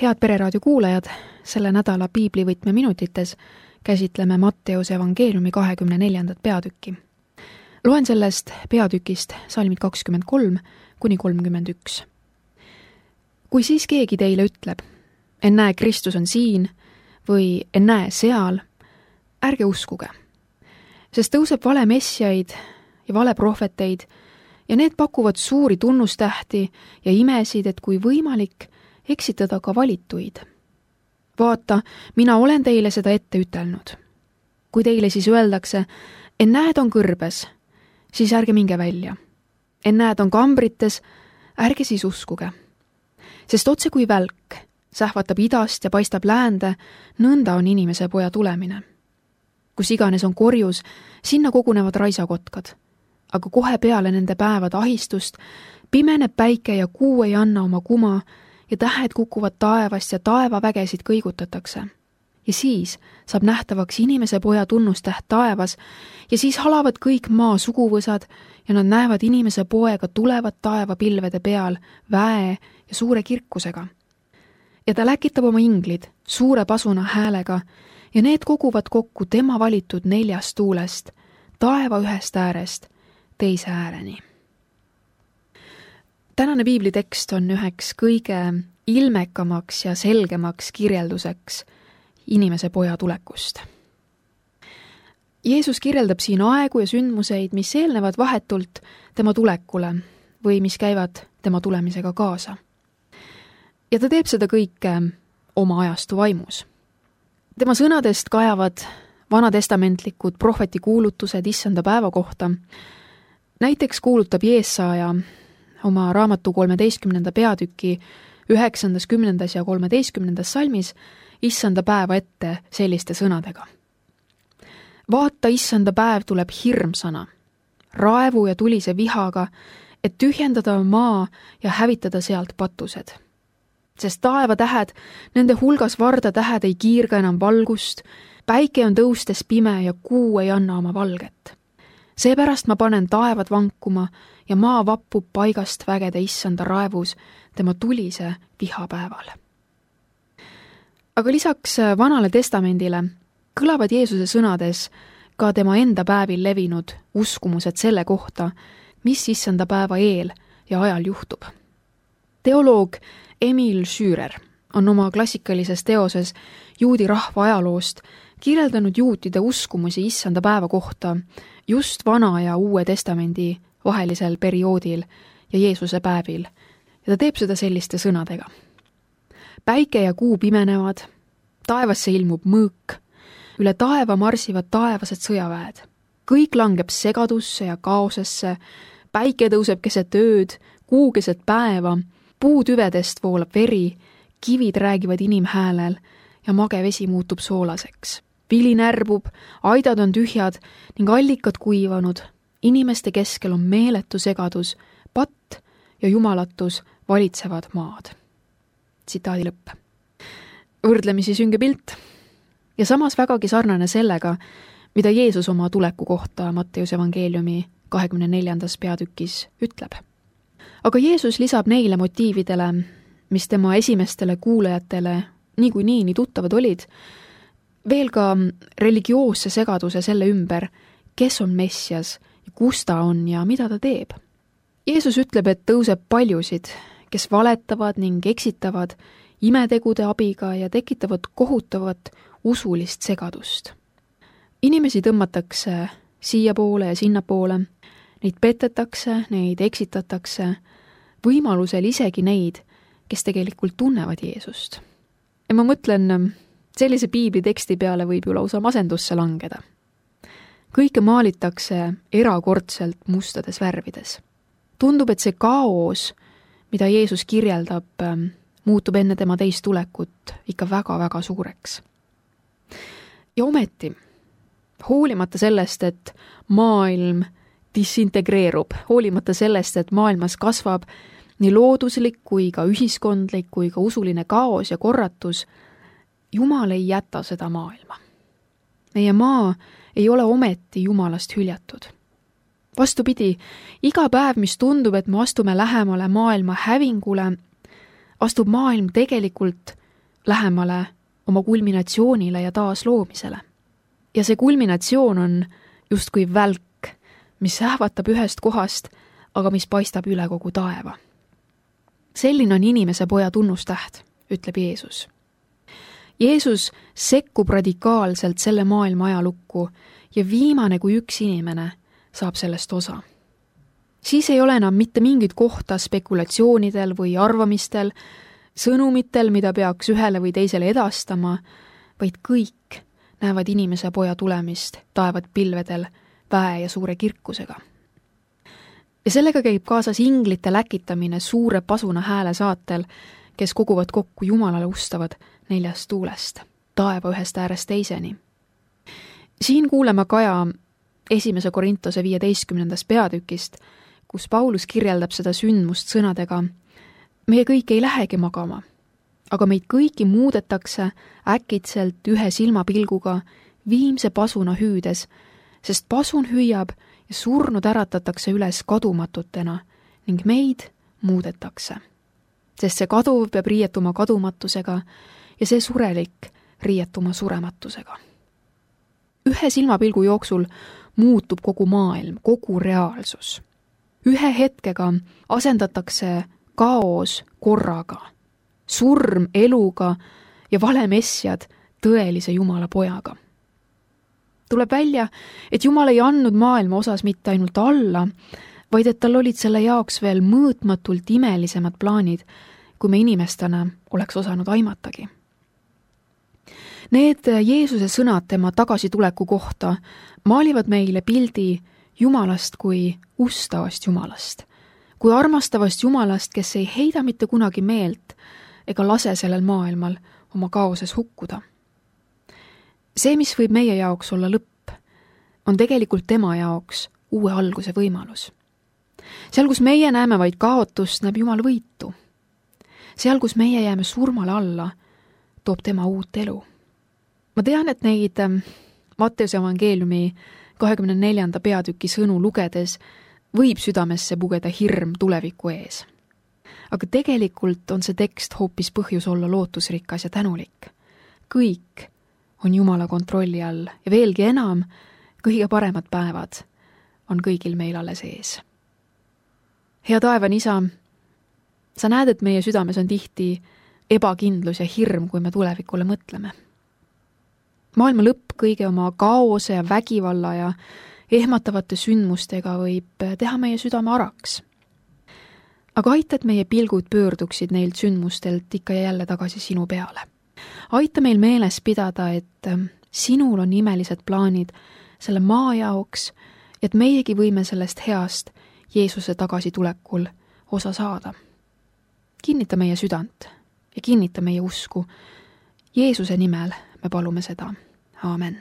Head Pereraadio kuulajad, selle nädala piiblivõtme minutites käsitleme Matteuse evangeeliumi 24. peatükki. Loen sellest peatükist salmid 23–31. Kui siis keegi teile ütleb, ennäe, Kristus on siin või ennäe seal, ärge uskuge, sest tõuseb vale messiaid ja vale prohveteid ja need pakuvad suuri tunnustähti ja imesid, et kui võimalik, eksitada ka valituid. Vaata, mina olen teile seda ette ütelnud. Kui teile siis öeldakse, ennäed on kõrbes, siis ärge minge välja. Ennäed on kambrites, ärge siis uskuge. Sest otse kui välk sähvatab idast ja paistab läände, nõnda on inimese poja tulemine. Kus iganes on korjus, sinna kogunevad raisakotkad. Aga kohe peale nende päevade ahistust pimeneb päike ja kuu ei anna oma kuma ja tähed kukuvad taevast ja taevavägesid kõigutatakse. Ja siis saab nähtavaks inimese poja tunnustäht taevas ja siis halavad kõik maa suguvõsad ja nad näevad inimese poega tulevat taevapilvede peal väe ja suure kirkusega. Ja ta läkitab oma inglid suure pasuna häälega ja need koguvad kokku tema valitud 4 tuulest, taeva ühest äärest teise ääreni. Tänane piiblitekst on üheks kõige ilmekamaks ja selgemaks kirjelduseks inimese poja tulekust. Jeesus kirjeldab siin aegu ja sündmuseid, mis eelnevad vahetult tema tulekule või mis käivad tema tulemisega kaasa. Ja ta teeb seda kõike oma ajastu vaimus. Tema sõnadest kajavad vanatestamentlikud prohvetikuulutused issanda päeva kohta. Näiteks kuulutab Jeesaja oma raamatu 13. peatüki 9., 10. ja 13. salmis issanda päeva ette selliste sõnadega. Vaata, issanda päev tuleb hirmsana, raevu ja tulise vihaga, et tühjendada maa ja hävitada sealt patused. Sest taevatähed, nende hulgas vardatähed ei kiirga enam valgust, päike on tõustes pime ja kuu ei anna oma valget. Seepärast ma panen taevad vankuma ja maa vappub paigast vägede issanda raevus tema tulise vihapäeval. Aga lisaks Vanale testamendile kõlavad Jeesuse sõnades ka tema enda päevil levinud uskumused selle kohta, mis issanda päeva eel ja ajal juhtub. Teoloog Emil Schürer on oma klassikalises teoses juudi rahva ajaloost kirjeldanud juutide uskumusi issanda päeva kohta just Vana ja Uue testamendi vahelisel perioodil ja Jeesuse päevil, ja ta teeb seda selliste sõnadega. Päike ja kuu pimenevad, taevasse ilmub mõõk, üle taeva marsivad taevased sõjaväed. Kõik langeb segadusse ja kaosesse, päike tõuseb keset ööd, kuu keset päeva, puutüvedest voolab veri, kivid räägivad inimhäälel ja mage vesi muutub soolaseks. Vili närbub, aidad on tühjad ning allikad kuivanud, inimeste keskel on meeletu segadus, patt ja jumalatus valitsevad maad. Tsitaadi lõpp. Võrdlemisi sünge pilt ja samas vägagi sarnane sellega, mida Jeesus oma tuleku kohta Matteuse evangeeliumi 24. peatükis ütleb. Aga Jeesus lisab neile motiividele, mis tema esimestele kuulajatele niikuinii nii tuttavad olid, veel ka religioosse segaduse selle ümber, kes on Messias ja kus ta on ja mida ta teeb. Jeesus ütleb, et tõuseb paljusid, kes valetavad ning eksitavad imetegude abiga ja tekitavad kohutavat usulist segadust. Inimesi tõmmatakse siiapoole ja sinnapoole, neid petetakse, neid eksitatakse, võimalusel isegi neid, kes tegelikult tunnevad Jeesust. Ja ma mõtlen, sellise piibliteksti peale võib ju lausa masendusse langeda. Kõike maalitakse erakordselt mustades värvides. Tundub, et see kaos, mida Jeesus kirjeldab, muutub enne tema teist tulekut ikka väga-väga suureks. Ja ometi, hoolimata sellest, et maailm disintegreerub, hoolimata sellest, et maailmas kasvab nii looduslik kui ka ühiskondlik kui ka usuline kaos ja korratus, Jumal ei jäta seda maailma. Meie maa ei ole ometi Jumalast hüljatud. Vastupidi, iga päev, mis tundub, et me astume lähemale maailma hävingule, astub maailm tegelikult lähemale oma kulminatsioonile ja taasloomisele. Ja see kulminatsioon on justkui välk, mis ähvatab ühest kohast, aga mis paistab üle kogu taeva. Selline on inimese poja tunnustäht, ütleb Jeesus. Jeesus sekkub radikaalselt selle maailma ajalukku ja viimane kui üks inimene saab sellest osa. Siis ei ole enam mitte mingit kohta spekulatsioonidel või arvamistel, sõnumitel, mida peaks ühele või teisele edastama, vaid kõik näevad inimese poja tulemist taevad pilvedel väe ja suure kirkusega. Ja sellega käib kaasas inglite läkitamine suure pasuna hääle saatel, kes koguvad kokku Jumalale ustavad 4 tuulest, taeva ühest äärest teiseni. Siin kuuleme Kaja 1. Korintuse 15. peatükist, kus Paulus kirjeldab seda sündmust sõnadega: meie kõik ei lähegi magama, aga meid kõiki muudetakse äkitselt ühe silmapilguga viimse pasuna hüüdes, sest pasun hüüab ja surnud äratatakse üles kadumatutena ning meid muudetakse. Sest see kaduv peab riietuma kadumatusega ja see surelik riietuma surematusega. Ühe silmapilgu jooksul muutub kogu maailm, kogu reaalsus. Ühe hetkega asendatakse kaos korraga, surm eluga ja valemessjad tõelise Jumala pojaga. Tuleb välja, et Jumal ei andnud maailma osas mitte ainult alla, vaid et tal olid selle jaoks veel mõõtmatult imelisemad plaanid, kui me inimestena oleks osanud aimatagi. Need Jeesuse sõnad tema tagasituleku kohta maalivad meile pildi Jumalast kui ustavast Jumalast, kui armastavast Jumalast, kes ei heida mitte kunagi meelt ega lase sellel maailmal oma kaoses hukkuda. See, mis võib meie jaoks olla lõpp, on tegelikult tema jaoks uue alguse võimalus. Seal, kus meie näeme vaid kaotust, näeb Jumal võitu. Seal, kus meie jääme surmale alla, toob tema uut elu. Ma tean, et neid Matteuse evangeeliumi 24. peatüki sõnu lugedes võib südamesse pugeda hirm tuleviku ees. Aga tegelikult on see tekst hoopis põhjus olla lootusrikas ja tänulik. Kõik on Jumala kontrolli all ja veelgi enam, kõige paremad päevad on kõigil meil alles ees. Hea taevane Isa, sa näed, et meie südames on tihti ebakindlus ja hirm, kui me tulevikule mõtleme. Maailma lõpp kõige oma kaose ja vägivalla ja ehmatavate sündmustega võib teha meie südame araks. Aga aita, et meie pilgud pöörduksid neilt sündmustelt ikka ja jälle tagasi sinu peale. Aita meil meeles pidada, et sinul on imelised plaanid selle maa jaoks, et meiegi võime sellest heast Jeesuse tagasitulekul osa saada. Kinnita meie südant ja kinnita meie usku. Jeesuse nimel me palume seda. Aamen.